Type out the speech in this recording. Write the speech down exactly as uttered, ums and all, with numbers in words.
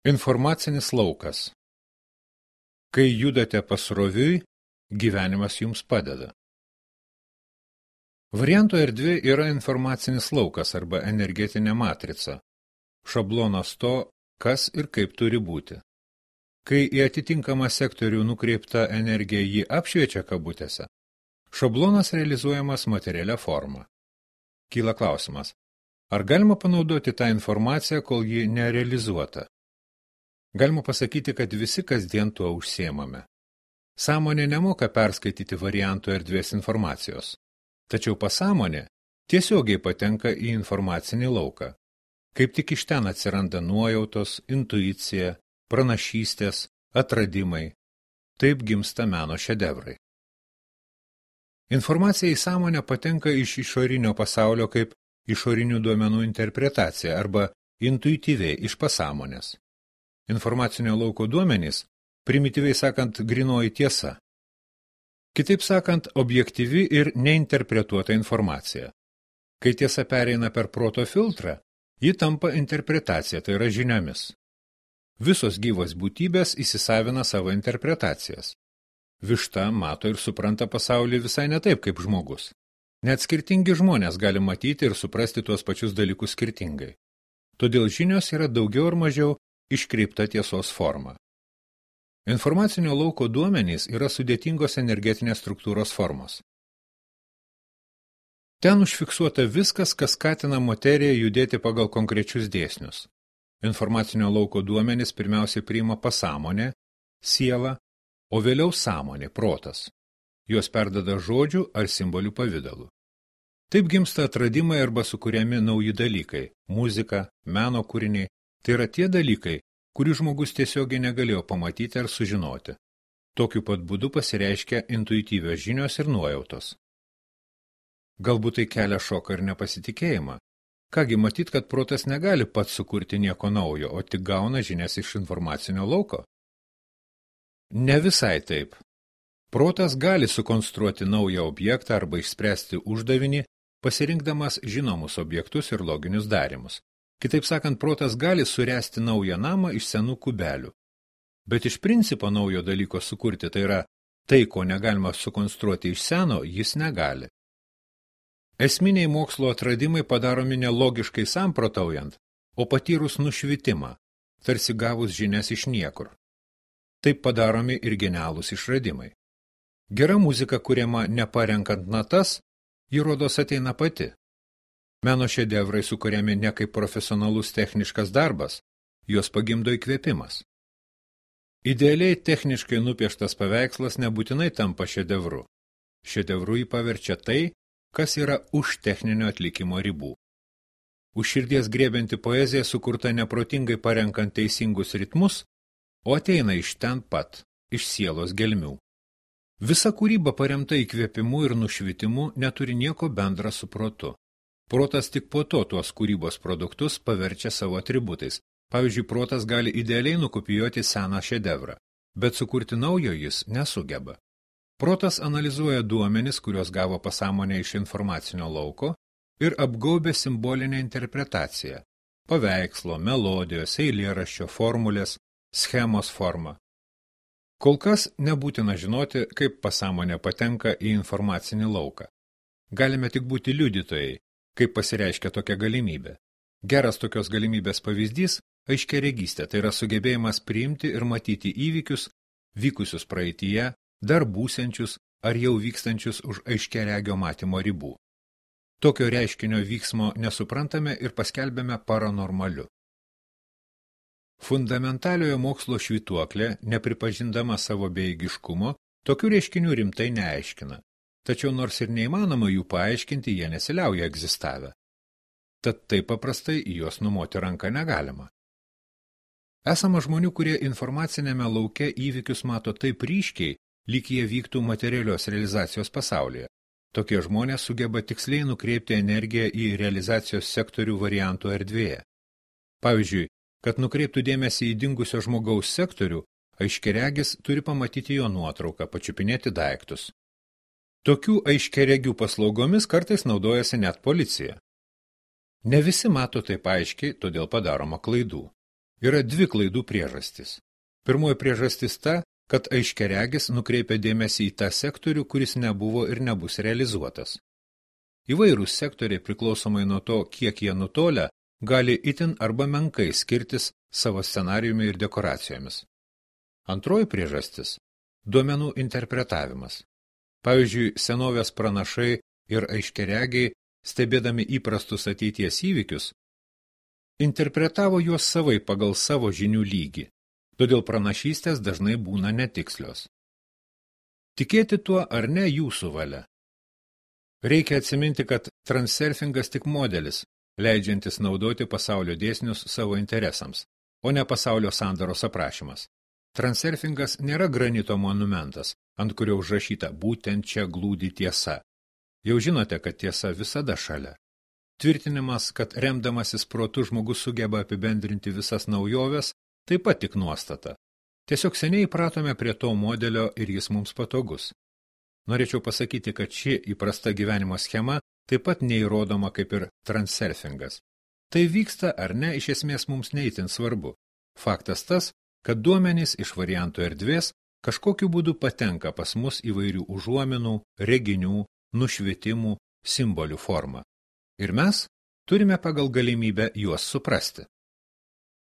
Informacinis laukas. Kai judate pasroviui, gyvenimas jums padeda. Varianto erdvė yra informacinis laukas arba energetinė matrica, šablonas to, kas ir kaip turi būti. Kai į atitinkamą sektorių nukreipta energija jį apšviečia kabutėse, šablonas realizuojamas materialia forma. Kyla klausimas, ar galima panaudoti tą informaciją, kol ji nerealizuota? Galima pasakyti, kad visi kasdien tuo užsiemame. Sąmonė nemoka perskaityti variantų erdvės informacijos, tačiau pasąmonė tiesiogiai patenka į informacinį lauką. Kaip tik iš ten atsiranda nuojautos, intuicija, pranašystės, atradimai. Taip gimsta meno šedevrai. Informacija į sąmonę patenka iš išorinio pasaulio kaip išorinių duomenų interpretacija arba intuityviai iš pasąmonės. Informacinio lauko duomenys, primityviai sakant, grynoji tiesa. Kitaip sakant, objektyvi ir neinterpretuota informacija. Kai tiesa pereina per proto filtrą, ji tampa interpretacija, tai yra žiniomis. Visos gyvos būtybės įsisavina savo interpretacijas. Višta mato ir supranta pasaulį visai ne taip kaip žmogus. Net skirtingi žmonės gali matyti ir suprasti tuos pačius dalykus skirtingai. Todėl žinios yra daugiau ar mažiau iškreipta tiesos forma. Informacinio lauko duomenys yra sudėtingos energetinės struktūros formos. Ten užfiksuota viskas, kas skatina materiją judėti pagal konkrečius dėsnius. Informacinio lauko duomenys pirmiausiai priima pasąmonė, siela, o vėliau sąmonė, protas. Juos perdada žodžių ar simbolių pavidalu. Taip gimsta atradimai arba sukuriami nauji dalykai – muzika, meno kūriniai. Tai yra tie dalykai, kurių žmogus tiesiogiai negalėjo pamatyti ar sužinoti. Tokiu pat būdu pasireiškia intuityvios žinios ir nuojautos. Galbūt tai kelia šoką ir nepasitikėjimą. Kągi matyt, kad protas negali pats sukurti nieko naujo, o tik gauna žinias iš informacinio lauko? Ne visai taip. Protas gali sukonstruoti naują objektą arba išspręsti uždavinį, pasirinkdamas žinomus objektus ir loginius darymus. Kitaip sakant, protas gali suręsti naują namą iš senų kubelių. Bet iš principo naujo dalyko sukurti, tai yra tai, ko negalima sukonstruoti iš seno, jis negali. Esminiai mokslo atradimai padaromi nelogiškai samprotaujant, o patyrus nušvitimą, tarsi gavus žinias iš niekur. Taip padaromi ir genialūs išradimai. Gera muzika, kuriama neparenkant natas, ji rodos ateina pati. Meno šedevrai sukuriami ne kaip profesionalus techniškas darbas, juos pagimdo įkvėpimas. Idealiai techniškai nupieštas paveikslas nebūtinai tampa šedevru. Šedevru jį paverčia tai, kas yra už techninio atlikimo ribų. Už širdies griebianti poezija sukurta neprotingai parenkant teisingus ritmus, o ateina iš ten pat, iš sielos gelmių. Visa kūryba paremta įkvėpimu ir nušvitimu neturi nieko bendra su protu. Protas tik po to tuos kūrybos produktus paverčia savo atributais. Pavyzdžiui, protas gali idealiai nukopijuoti seną šedevrą, bet sukurti naujo jis nesugeba. Protas analizuoja duomenis, kuriuos gavo pasąmonė iš informacinio lauko ir apgaubia simbolinę interpretaciją – paveikslo, melodijos, eilėraščio, formulės, schemos formą. Kol kas nebūtina žinoti, kaip pasąmonė patenka į informacinį lauką. Galime tik būti liudytojai, kaip pasireiškia tokia galimybė. Geras tokios galimybės pavyzdys – aiškiaregystė, tai yra sugebėjimas priimti ir matyti įvykius, vykusius praeityje, dar būsiančius ar jau vykstančius už aiškiaregio matymo ribų. Tokio reiškinio vyksmo nesuprantame ir paskelbėme paranormaliu. Fundamentaliojo mokslo švytuoklė, nepripažindama savo bejėgiškumo, tokių reiškinių rimtai neaiškina. Tačiau nors ir neįmanoma jų paaiškinti, jie nesiliauja egzistavę. Tad taip paprastai į juos numoti ranką negalima. Esama žmonių, kurie informacinėme lauke įvykius mato taip ryškiai, lyg jie vyktų materialios realizacijos pasaulyje. Tokie žmonės sugeba tiksliai nukreipti energiją į realizacijos sektorių variantų erdvėje. Pavyzdžiui, kad nukreiptų dėmesį į dingusio žmogaus sektorių, aiškiaregis turi pamatyti jo nuotrauką, pačiupinėti daiktus. Tokių aiškiaregių paslaugomis kartais naudojasi net policija. Ne visi mato taip aiškiai, todėl padaroma klaidų. Yra dvi klaidų priežastys. Pirmoji priežastis ta, kad aiškiaregis nukreipia dėmesį į tą sektorių, kuris nebuvo ir nebus realizuotas. Įvairūs sektoriai priklausomai nuo to, kiek jie nutolia, gali itin arba menkai skirtis savo scenarijumi ir dekoracijomis. Antroji priežastis – duomenų interpretavimas. Pavyzdžiui, senovės pranašai ir aiškiaregiai, stebėdami įprastus ateities įvykius, interpretavo juos savai pagal savo žinių lygį, todėl pranašystės dažnai būna netikslios. Tikėti tuo ar ne jūsų valia. Reikia atsiminti, kad transurfingas tik modelis, leidžiantis naudoti pasaulio dėsnius savo interesams, o ne pasaulio sandaros aprašymas. Transurfingas nėra granito monumentas, ant kurio užrašyta būtent čia glūdi tiesa. Jau žinote, kad tiesa visada šalia. Tvirtinimas, kad remdamasis protu žmogus sugeba apibendrinti visas naujoves, taip pat tik nuostata. Tiesiog seniai įpratome prie to modelio ir jis mums patogus. Norėčiau pasakyti, kad ši įprasta gyvenimo schema taip pat neįrodoma kaip ir transurfingas. Tai vyksta ar ne, iš esmės mums neįtin svarbu. Faktas tas, kad duomenys iš variantų erdvės kažkokiu būdu patenka pas mus įvairių užuominų, reginių, nušvitimų, simbolių formą. Ir mes turime pagal galimybę juos suprasti.